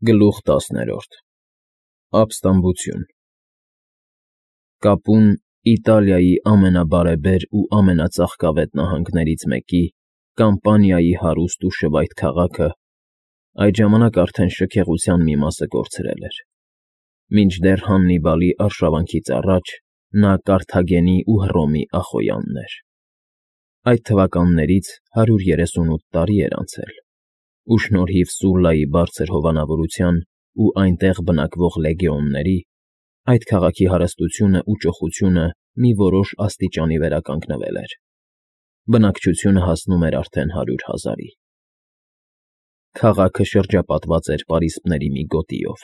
Գլուխ 10 Ապստամբություն Կապուն, Իտալիայի ամենաբարեբեր ու ամենածաղկավետ նահանգներից մեկի, Կամպանիայի հարուստ ու շվայտ քաղաքը այդ ժամանակ արդեն շքեղության մի մասը կորցրել էր, մինչդեռ Հաննիբալի արշավանքից առաջ նա Կարթագենի ու Հռոմի Ախոյանն էր։ Այդ թվականներից 138 տարի էր անցել, ու շնորհիվ Սուլլայի բարձր հովանավորության ու այնտեղ բնակվող լեգեոնների, այդ քաղաքի հարստությունն ու ճոխությունը մի որոշ աստիճանի վերականգնվել էր։ Բնակչությունը հասնում էր արդեն 100,000-ի։ Քաղաքը շրջապատված էր պարիսպների մի գոտիով,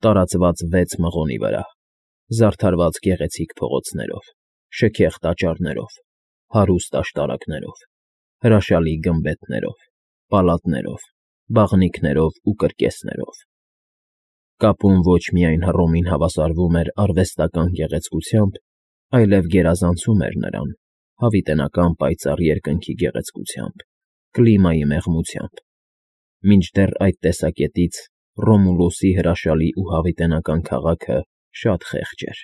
տարածված 6 մղոնի վրա, զարդարված գեղեցիկ փողոցներով, շքեղ տաճարներով, հարուստ աշտարակներով, հրաշալի գմբեթներով, պալատներով, բաղնիքներով ու կրկեսներով։ Կապուն ոչ միայն Հռոմին հավասարվում էր արվեստական գեղեցկությամբ, այլև գերազանցում էր նրան հավիտենական պայծառ երկնքի գեղեցկությամբ, կլիմայի մեղմությամբ, մինչդեռ այդ տեսակետից Ռոմուլուսի հրաշալի ու հավիտենական քաղաքը շատ խեղճ էր։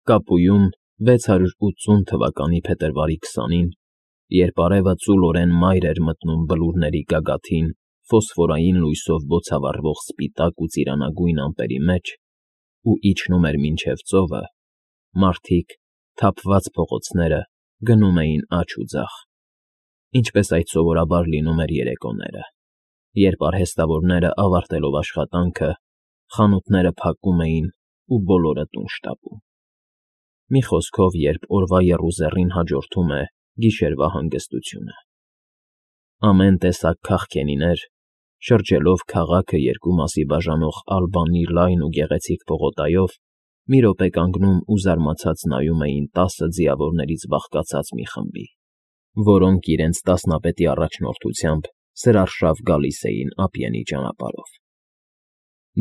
Կապույում 680 թվականի փետրվարի 20-ին, երբ արևը ծուլորեն մայր էր մտնում բլուրների գագաթին ֆոսֆորային լույսով բոցավառվող սպիտակ ու ծիրանագույն ամպերի մեջ ու իջնում էր մինչև ծովը, մարդիկ, թափված փողոցները գնում էին աջ ու ձախ, ինչպես այդ սովորաբար լինում էր երեկոները, երբ արհեստավորները ավարտելով աշխատանքը, խանութները փակում էին ու բոլորը տուն շտապում։ Մի խոսքով, երբ օրվա եռուզեռին հաջորդում է գիշերվա հանգստությունը։ Ամեն տեսակ քաղքենիներ, շրջելով քաղաքը երկու մասի բաժանող Ալբանի լայն ու գեղեցիկ պողոտայով, մի րոպե կանգնում ու զարմացած նայում էին 10 ձիավորներից բաղկացած մի խմբի, որոնք իրենց տասնապետի առաջնորդությամբ սրարշավ գալիս էին ափիենի ճանապարհով։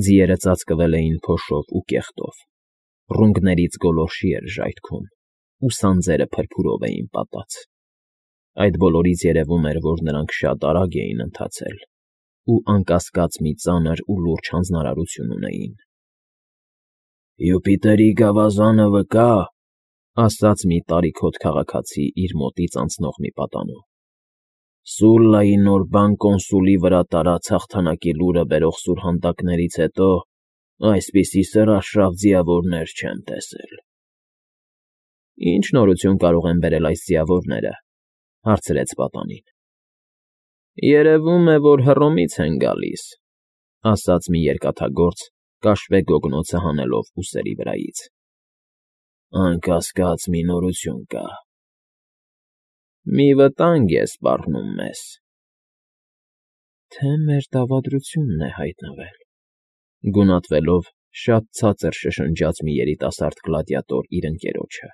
Ձիերը ծածկվել էին փոշով ու կեղտով, ռունգներից գոլորշի էր ժայթքում, ու սանձերը փրփուրով էին պատած։ Այդ բոլորից երևում էր, որ նրանք շատ արագ էին ընթացել ու անկասկած մի ծանր ու լուրջ հանձնարարություն ունեին։ «Յուպիտերի գավազանը վկա,֊ ասաց մի տարիքոտ քաղաքացի իր մոտից անցնող մի պատանու,֊ Սուլլայի նոր բան կոնսուլի վրա տարած հաղթանակի լուրը բերող սուրհանդակներից հետո այսպիսի սրարշավ ձիավորներ չեմ տեսել»։ «Ինչ նորություն կարող են բերել այս ձիավորները,֊ հարցրեց պատանին։ «Երևում է, որ Հռոմից են գալիս,֊ ասաց մի երկաթագործ, կաշվե գոգնոցը հանելով ուսերի վրայից։ «Անկասկած մի նորություն կա։ Մի վտանգ է սպառնում մեզ»։ «Թե մեր դավադրությունն է հայտնվել,֊ գունատվելով շատ ցածր շշնջաց մի երիտասարդ գլադիատոր իր ընկերոջը։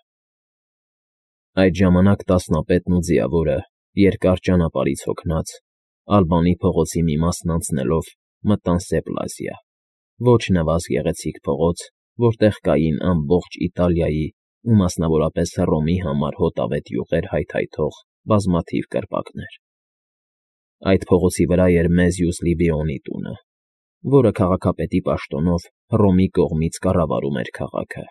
Այդ ժամանակ տասնապետն ու ձիավորը, երկար ճանապարհից հոգնած, Ալբանի փողոցի մի մասն անցնելով մտան Սեպլազիա, ոչ նվազ գեղեցիկ փողոց, որտեղ կային ամբողջ Իտալիայի ու մասնավորապես Հռոմի համար հոտավետ յուղեր հայթայթող բազմաթիվ կրպակներ։ Այդ փողոցի վրա էր Մեզյուս Լիբիոնի տունը, որը քաղաքապետի պաշտոնով Հռոմի կողմից կառավարում էր քաղաքը։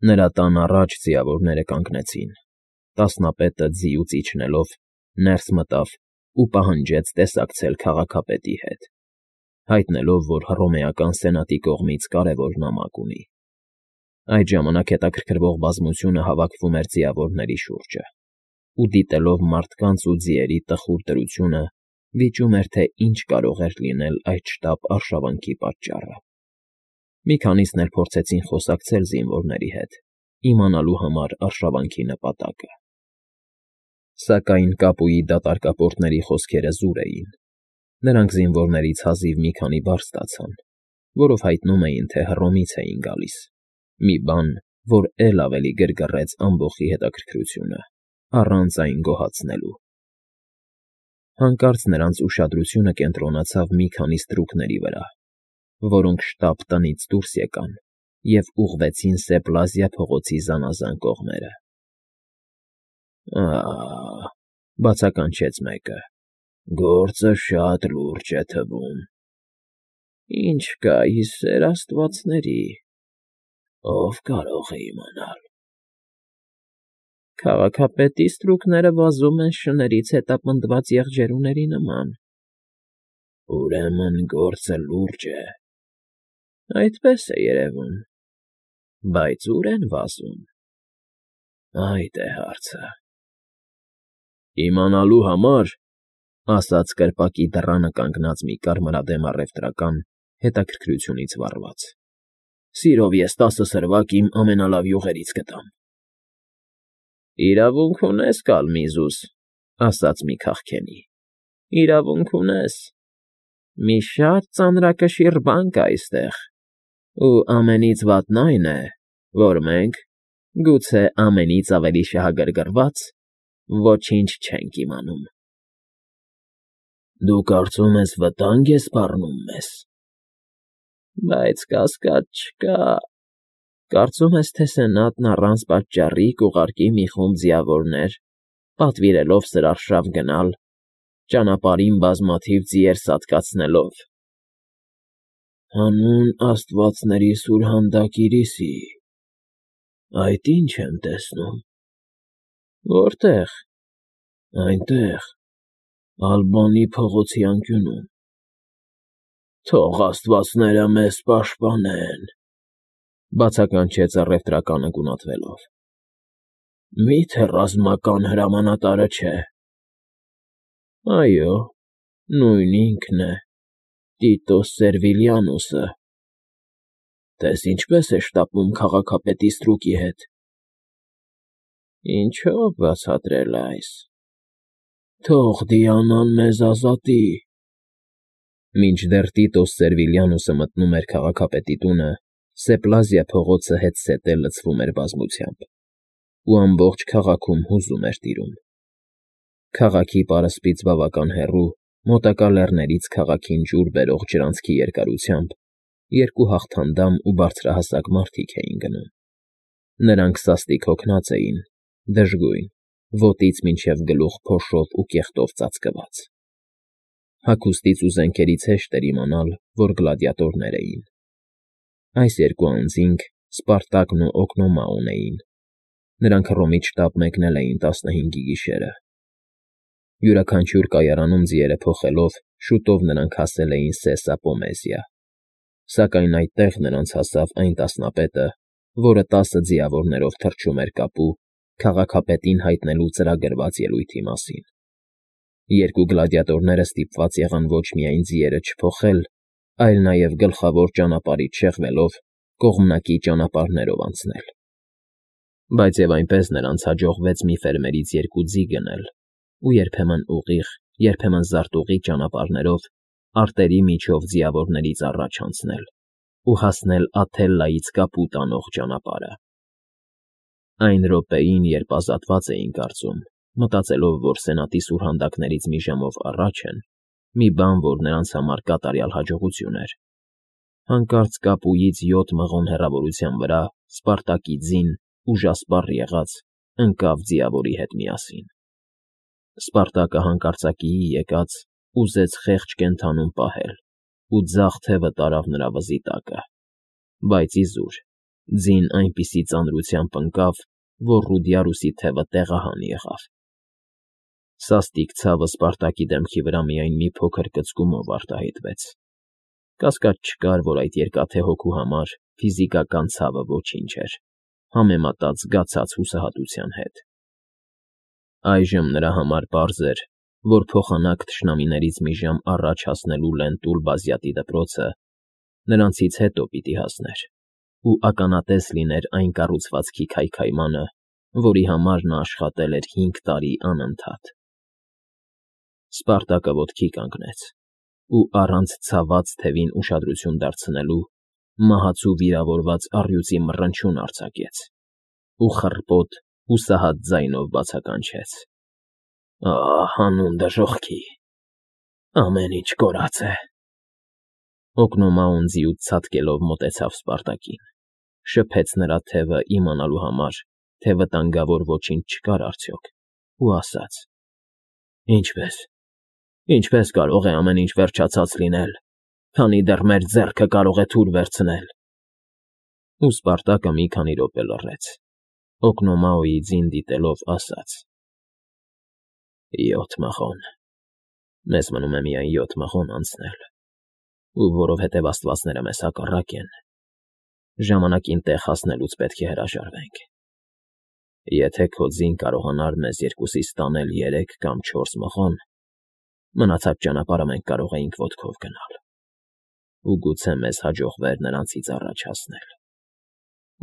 Նրա տան առաջ ձիավորները կանգնեցին, տասնապետը ձիուց իջնելով ներս մտավ ու պահանջեց տեսակցել քաղաքապետի հետ, հայտնելով, որ հռոմեական սենատի կողմից կարևոր նամակ ունի։ Այդ ժամանակ հետաքրքրվող բազմությունը հավաքվում էր ձիավորների շուրջը ու դիտելով մարդկանց ու ձիերի տխուր դրությունը, վիճում էր, թե ինչ կարող էր լինել այդ շտապ արշավանքի պատճառը։ Մի քանիսն էլ փորձեցին խոսակցել զինվորների հետ, իմանալու համար արշավանքի նպատակը։ Սակայն Կապուի դատարկապորտների խոսքերը զուր էին։ Նրանք զինվորներից հազիվ մի քանի բառ ստացան, որով հայտնում էին, թե Հռոմից էին գալիս, մի բան, որ էլ ավելի գրգռեց ամբոխի հետաքրքրությունը, առանց այն գոհացնելու։ Հանկարծ նրանց ուշադրությունը կենտրոնացավ մի քանի ստրուկների վրա, որոնք շտապ տնից դուրս եկան և ուղղվեցին Սեպլազիա փողոցի զանազան կողմերը։ «Ա՜,֊ բացականչեց մեկը,֊ գործը շատ լուրջ է թվում»։ Ինչ կա ի սեր աստվածների, ով կարող է իմանալ։ Քաղաքապետի ստրուկները վազում են շներից հետապնդված եղջերուների նման։ Ուրեմն գործը լուրջ է։ Այդպես է երևում, բայց ուր են վազում։ Այդ է հարցը։ Իմանալու համար, ասաց կրպակի դռանը կանգնած մի կարմրադեմ առևտրական, հետաքրքրությունից վառված, սիրով ես 10 սրվակ իմ ամենալավ յուղերից կտամ։ Իրավունք ունես, Կալմիզուս, ասաց մի քաղքենի, իրավունք ունես։ Մի շատ ծանրակշիռ բան կա այստեղ, ու ամենից վատն այն է, որ մենք, գուցե ամենից ավելի շահագրգռված, ոչինչ չենք իմանում։ Դու կարծում ես վտանգ ես սպառնում մեզ։ Բայց կասկած չկա։ Կարծում ես, թե Սենատն առանց պատճառի կուղարկի մի խումբ ձիավորներ, պատվիրելով սրարշավ գնալ, ճանապարհին բազմաթիվ ձիեր սատկացնելով։ Հանուն աստվածների սուրհանդակիրիսի, այդ ինչ եմ տեսնում։ Որտե՞ղ։ Այնտեղ, Ալբանի փողոցի անկյունում։ Թող աստվածները մեզ պաշտպանեն, բացականչեց առևտրականը գունատվելով։ Մի՞թե ռազմական հրամանատարը չէ։ Այո, նույն ինքն է, Տիտոս Սերվիլիանուսը։ Տես ինչպես է շտապում քաղաքապետի ստրուկի հետ։ Ինչո՞վ բացատրել այս։ Թող Դիանան մեզ ազատի։ Մինչդեռ Տիտոս Սերվիլիանուսը մտնում էր քաղաքապետի տունը, Սեպլազիա փողոցը հետզհետե լցվում էր բազմությամբ, ու ամբողջ քաղաքում հուզում էր տիրում։ Քաղաքի պարսպից բավական հեռու, մոտակա լեռներից քաղաքին ջուր բերող ջրանցքի երկարությամբ երկու հաղթանդամ ու բարձրահասակ մարդիկ էին գնում։ Նրանք սաստիկ հոգնած էին, դժգույն, ոտից մինչև գլուխ փոշով ու կեղտով ծածկված։ Հագուստից ու զենքերից հեշտ էր իմանալ, որ գլադիատորներ էին։ Այս երկու անձինք Սպարտակն ու Օկնոմաոն էին։ Նրանք Հռոմից շտապ մեկնել էին 15-ի գիշերը։ Յուրաքանչյուր կայարանում ձիերը փոխելով, շուտով նրանք հասել էին Սեսա Պոմեզիա։ Սակայն այդտեղ նրանց հասավ այն տասնապետը, որը 10 ձիավորներով թռչում էր կապու, քաղաքապետին հայտնելու ծրագրված ելույթի մասին։ Երկու գլադիատորները ստիպված եղան ոչ միայն ձիերը չփոխել, այլ նաև գլխավոր ճանապարհից շեղվելով կողմնակի ճանապարհներով անցնել։ Բայց և այնպես նրանց հաջողվեց մի ֆերմերից երկու ձի գնել ու երբեմն ուղիղ, երբեմն զարտուղի ճանապարհներով արտերի միջով ձիավորներից առաջ անցնել ու հասնել Աթելլայից կապու տանող ճանապարհը։ Այն րոպեին, երբ ազատված էին կարծում, մտածելով, որ Սենատի սուրհանդակներից մի ժամով առաջ են, մի բան, որ նրանց համար կատարյալ հաջողություն էր, հանկարծ կապուից 7 մղոն հեռավորության վրա Սպարտակի ձին, ուժասպառ եղած, ընկավ ձիավորի հետ միասին։ Սպարտակը հանկարծակիի եկած ուզեց խեղճ կենդանուն պահել ու ձախ թևը տարավ նրա վզի տակը, բայց իզուր, ձին այնպիսի ծանրությամբ ընկավ, որ Ռուդիարուսի թևը տեղահան եղավ։ Սաստիկ ցավը Սպարտակի դեմքի վրա միայն մի փոքր կծկումով արտահայտվեց։ Կասկած չկար, որ այդ երկաթե հոգու համար ֆիզիկական ցավը ոչինչ էր, համեմատած զգացած հուսահատության հետ։ Այժմ նրա համար պարզ էր, որ փոխանակ թշնամիներից մի ժամ առաջ հասնելու Լենտուլ Բազյատի դպրոցը նրանցից հետո պիտի հասներ ու ականատես լիներ այն կառուցվածքի քայքայմանը, որի համար նա աշխատել էր 5 տարի անընդհատ։ Սպարտակը ոտքի կանգնեց ու առանց ցաված թևին ուշադրություն դարձնելու մահացու վիրավորված առյուծի մռնչյուն արձակեց ու խռպոտ, հուսահատ ձայնով բացականչեց. Հանուն դժոխքի, ամեն ինչ կորած է։ Օկնոմաոն ձիուց ցատկելով մոտեցավ Սպարտակին, շփեց նրա թևը իմանալու համար, թե վտանգավոր ոչինչ չկար արդյոք, ու ասաց. Ինչպես կարող է ամեն ինչ վերջացած լինել, քանի դեռ մեր ձեռքը կարող է թուր վերցնել։ Ու Սպարտակը մի քանի րոպե լռեց, Օկնոմաոյի ձին դիտելով ասաց. 7 մղոն։ Մեզ մնում է միայն 7 մղոն անցնել, ու որովհետև աստվածները մեզ հակառակ են, ժամանակին տեղ հասնելուց պետք է հրաժարվենք։ Եթե քո ձին կարողանար մեզ երկուսիս տանել 3 կամ 4 մղոն, մնացած ճանապարհը մենք կարող էինք ոտքով գնալ, ու գուցե մեզ հաջողվեր նրանցից առաջ հասնել,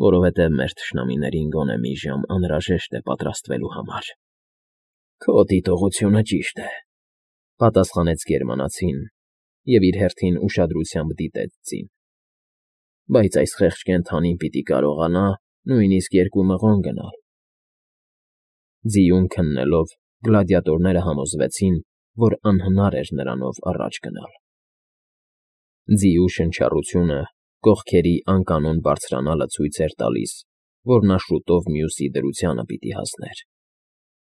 որովհետև մեր թշնամիներին գոնե մի ժամ անհրաժեշտ է պատրաստվելու համար։ Քո դիտողությունը ճիշտ է, պատասխանեց գերմանացին և իր հերթին ուշադրությամբ դիտեց ձին։ Բայց այս խեղճ կենդանին պիտի կարողանա նույնիսկ 2 մղոն գնալ։ Ձիուն քննելով, գլադիատորները համոզվեցին, որ անհնար էր նրանով առաջ գնալ։ Ձիու շնչառությունը, կողքերի անկանոն բարձրանալը ցույց էր տալիս, որ նա շուտով մյուսի դրությանը պիտի հասներ,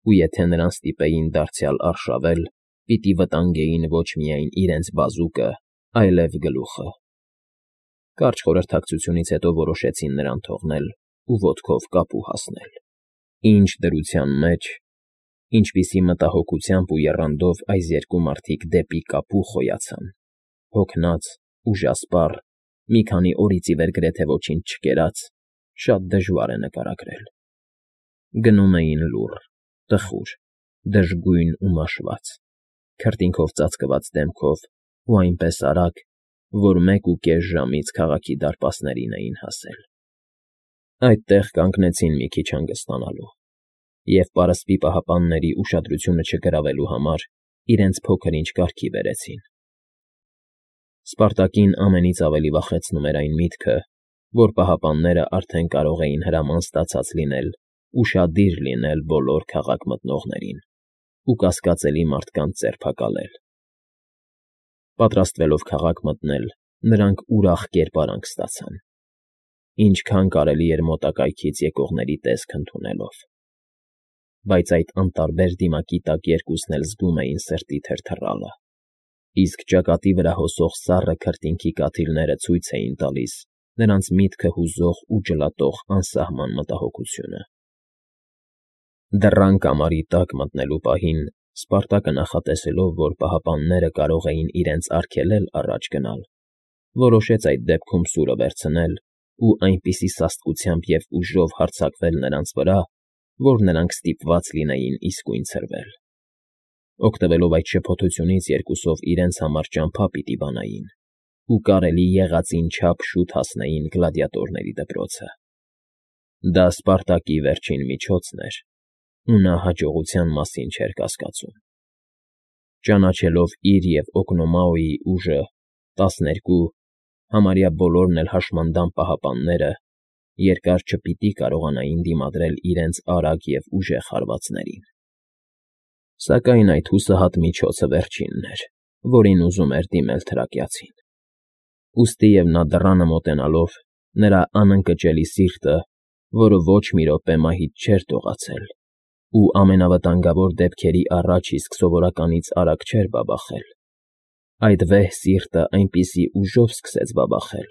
ու եթե նրան ստիպեին դարձյալ արշավել, պիտի վտանգեին ոչ միայն իրենց բազուկը, այլև գլուխը։ Կարճ խորհրդակցությունից հետո որոշեցին նրան թողնել ու ոտքով կապու հասնել։ Ինչ դրության մեջ, ինչպիսի մտահոգությամբ ու եռանդով այս երկու մարդիկ դեպի կապու խոյացան, հոգնած, ուժասպառ, մի քանի օրից ի վեր գրեթե ոչինչ չկերած, շատ դժվար է նկարագրել։ Գնում էին լուռ, տխուր, դժգույն ու մաշված, քրտինքով ծածկված դեմքով ու այնպես արագ, որ 1.5 ժամից քաղաքի դարպասներին էին հասել։ Այդտեղ կանգնեցին մի քիչ հանգստանալու, և պարսպի պահապանների ուշադրությունը չգրավելու համար իրենց փոքր-ինչ կարգի բերեցին։ Սպարտակին ամենից ավելի վախեցնում էր այն միտքը, որ պահապանները արդեն կարող էին հրաման ստացած լինել ուշադիր լինել բոլոր քաղաք մտնողներին ու կասկածելի մարդկանց ձերբակալել։ Պատրաստվելով քաղաք մտնել, նրանք ուրախ կերպարանք ստացան, ինչքան կարելի էր մոտակայքից եկողների տեսք ընդունելով։ Բայց այդ անտարբեր դիմակի տակ երկուսն էլ զգում էին սրտի թրթռալը, իսկ ճակատի վրա հոսող սառը քրտինքի կաթիլները ցույց էին տալիս նրանց միտքը հուզող ու ջլատող անսահման մտահոգությունը։ Դռան կամարի տակ մտնելու պահին Սպարտակը նախատեսելով, որ պահապանները կարող էին իրենց արգելել առաջ գնալ, որոշեց այդ դեպքում սուրը վերցնել ու այնպիսի սաստկությամբ և ուժով հարձակվել նրանց վրա, որ նրանք ստիպված լինեին իսկույն ցրվել։ Օգտվելով այդ շփոթությունից երկուսով իրենց համար ճամփա պիտի բանային ու կարելի եղածին չափ շուտ հասնեին գլադիատորների դպրոցը։ Դա Սպարտակի վերջին միջոցն էր, ու նա հաջողության մասին չէր կասկածում։ Ճանաչելով իր և Օկնոմաոյի ուժը, 12, համարյա բոլորն էլ հաշմանդամ պահապանները երկար չպիտի կարողանային դիմադրել իրենց արագ և ուժեղ հարվածներին։ Սակայն այդ հուսահատ միջոցը վերջինն էր, որին ուզում էր դիմել թրակյացին։ Ուստիև նա դռանը մոտենալով, նրա անընկճելի սիրտը, որը ոչ մի րոպե մահից չէր դողացել, ու ամենավտանգավոր դեպքերի առաջ իսկ սովորականից արագ չէր բաբախել, այդ վեհ սիրտը այնպիսի ուժով սկսեց բաբախել,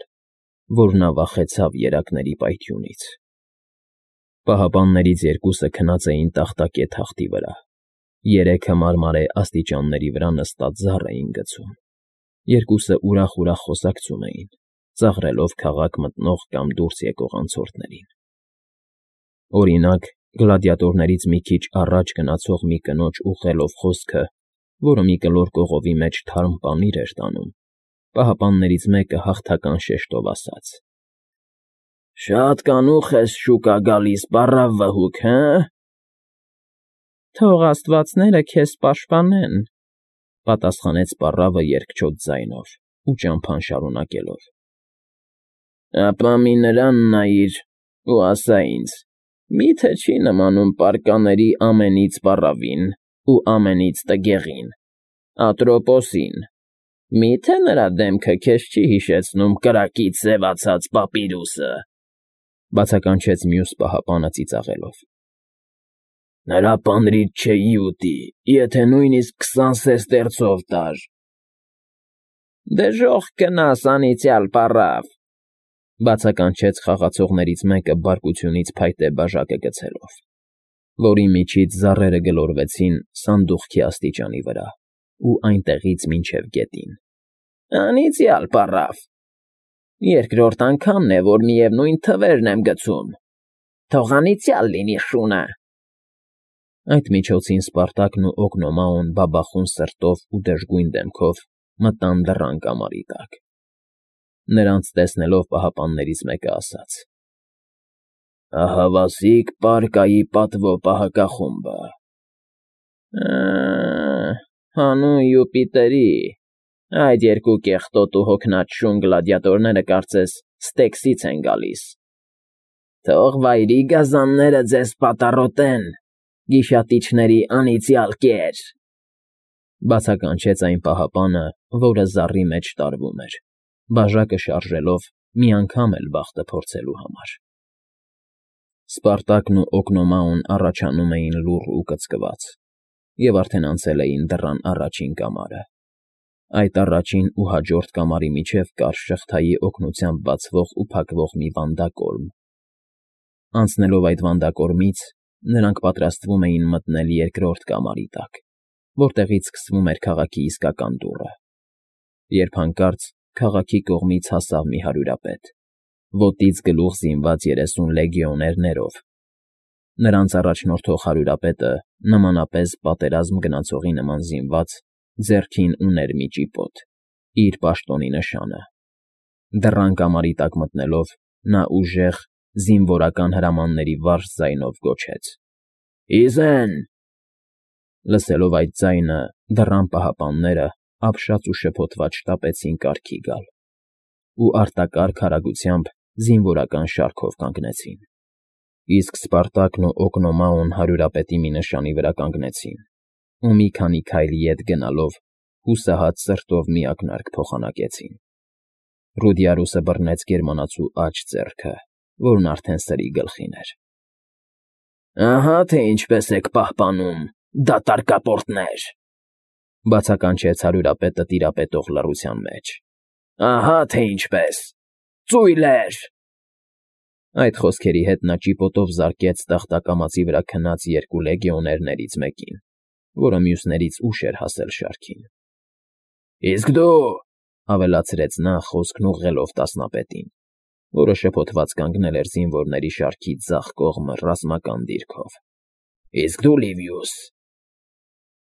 որ նա վախեցավ երակների պայթյունից։ Պահապաններից երկուսը քնած էին տախտակե թախտի վրա, երեքը մարմարե աստիճանների վրա նստած զառ էին գցում, երկուսը ուրախ-ուրախ խոսակցում էին, ծաղրելով քաղաք մտնող կամ դուրս եկող անցորդներին։ Օրինակ, գլադիատորներից մի քիչ առաջ գնացող մի կնոջ ուղղելով խոսքը, որը մի կլոր կողովի մեջ թարմ պանիր էր տանում, պահապաններից մեկը հաղթական շեշտով ասաց. «Շատ կանուխ ես շուկա գալիս, պառավ վհուկ, հը՞»։ «Թող աստվածները քեզ պաշտպանեն», պատասխանեց պառավը երկչոտ ձայնով ու ճամփան շարունակելով. «Ապա մի նրան նայիր ու ասա ինձ. մի՞թե չի նմանում պարկաների ամենից պառավին ու ամենից տգեղին, Ատրոպոսին, մի՞թե նրա դեմքը քեզ չի հիշեցնում կրակից սևացած պապիրուսը», բացականչեց մյուս պահապանը ծիծաղելով։ «Նրա պանրից չէի ուտի, եթե նույնիսկ 20 սեստերցով տար»։ Դժոխք կնաս անիծյալ պառավ,֊ բացականչեց խաղացողներից մեկը բարկությունից փայտե բաժակը գցելով, որի միջից զառերը գլորվեցին սանդուղքի աստիճանի վրա ու այնտեղից մինչև գետին։ Անիծյալ պառավ… Երկրորդ անգամն է, որ միևնույն թվերն եմ գցում… Թող անիծյալ լինի շունը… Այդ միջոցին Սպարտակն ու Օգնոմաոն բաբախուն սրտով ու դժգույն դեմքով մտան դռան կամարի տակ։ Նրանց տեսնելով պահապաններից մեկը ասաց. «Ահավասիկ պարկայի պատվո պահակախումբը»։ Հանուն Յուպիտերի, այդ երկու կեղտոտ ու հոգնած շուն գլադիատորները կարծես Ստեքսից են գալիս։ Թող վայրի գազանները ձեզ պատառոտեն, գիշատիչների անիծյալ կեր…֊ բացականչեց այն պահապանը, որը զառի մեջ տարվում էր, բաժակը շարժելով մի անգամ էլ բախտը փորձելու համար։ Սպարտակն ու Օգնոմաոն առաջանում էին լուռ ու կծկված, և արդեն անցել էին դռան առաջին կամարը։ Այդ առաջին ու հաջորդ կամարի միջև կար շղթայի օգնությամբ բացվող ու փակվող մի վանդակորմ։ Անցնելով այդ վանդակորմից՝ նրանք պատրաստվում էին մտնել երկրորդ կամարի տակ, որտեղից սկսվում էր քաղաքի իսկական դուռը, երբ հանկարծ քաղաքի կողմից հասավ մի հարյուրապետ, ոտից գլուխ զինված 30 լեգիոներներով։ Նրանց առաջնորդող հարյուրապետը, նմանապես պատերազմ գնացողի նման զինված, ձեռքին ուներ մի ճիպոտ՝ իր պաշտոնի նշանը։ Դռան կամարի տակ մտնելով՝ նա ուժեղ, զինվորական հրամանների վարժ ձայնով գոչեց. «Ի զեն…» Լսելով այդ ձայնը, դռան պահապանները ապշած ու շփոթված շտապեցին կարգի գալ ու արտակարգ արագությամբ զինվորական շարքով կանգնեցին, իսկ Սպարտակն ու Օգնոմաոն հարյուրապետի մի նշանի վրա կանգնեցին ու մի քանի քայլ ետ գնալով հուսահատ սրտով մի ակնարկ փոխանակեցին։ Ռուդիարուսը բռնեց գերմանացու աջ ձեռքը, որն արդեն սրի գլխին էր։ «Ահա թե ինչպես եք պահպանում, դատարկապորտներ…֊ բացականչեց հարյուրապետը տիրապետող լռության մեջ։֊ Ահա թե ինչպես… Ծույլեր…֊ Այդ խոսքերի հետ նա ճիպոտով զարկեց տախտակամածի վրա քնած երկու լեգիոներներից մեկին, որը մյուսներից ուշ էր հասել շարքին։ «Իսկ դու…֊ ավելացրեց նա՝ խոսքն ուղղելով տասնապետին, որը շփոթված կանգնել էր զինվորների շարքի ձախ կողմը ռազմական դիրքով,֊ Իսկ դու, Լիվիուս…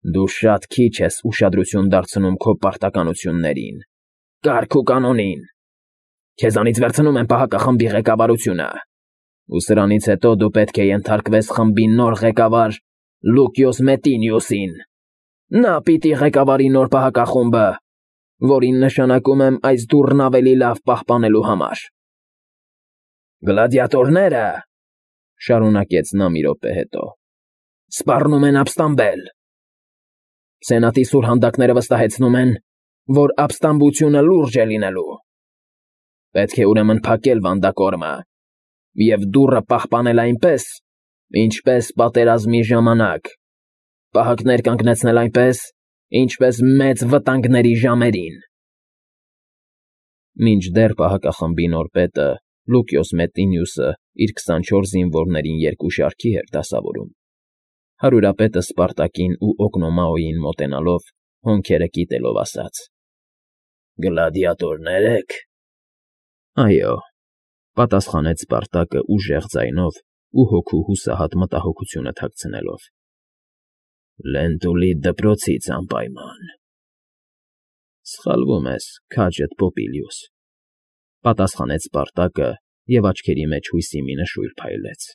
Դու շատ քիչ ես ուշադրություն դարձնում քո պարտականություններին, կարգ ու կանոնին… Քեզանից վերցնում եմ պահակախմբի ղեկավարությունը, ու սրանից հետո դու պետք է ենթարկվես խմբի նոր ղեկավար Լուկիոս Մետինիուսին։ Նա պիտի ղեկավարի նոր պահակախումբը, որին նշանակում եմ այս դուռն ավելի լավ պահպանելու համար։ Գլադիատորները…֊ շարունակեց նա մի րոպե հետո,֊ սպառնում են ապստամբել։ Սենատի սուրհանդակները վստահեցնում են, որ ապստամբությունը լուրջ է լինելու։ Պետք է ուրեմն փակել վանդակորմը և դուռը պահպանել այնպես, ինչպես պատերազմի ժամանակ, պահակներ կանգնեցնել այնպես, ինչպես մեծ վտանգների ժամերին։ Մինչդեռ պահակախմբի նոր պետը՝ Լուկիոս Մետինիուսը իր 24 զինվորներին երկու շարքի էր դասավորում, հարյուրապետը Սպարտակին ու Օգնոմաոյին մոտենալով, հոնքերը կիտելով ասաց. «Գլադիատորնե՞ր եք»։ «Այո», պատասխանեց Սպարտակը ուժեղ ձայնով ու հոգու հուսահատ մտահոգությունը թաքցնելով։ «Լենտուլի դպրոցից անպայման»։ Սխալվում ես, քաջդ Պոպիլիուս,֊ պատասխանեց Սպարտակը, և աչքերի մեջ հույսի մի նշույլ փայլեց։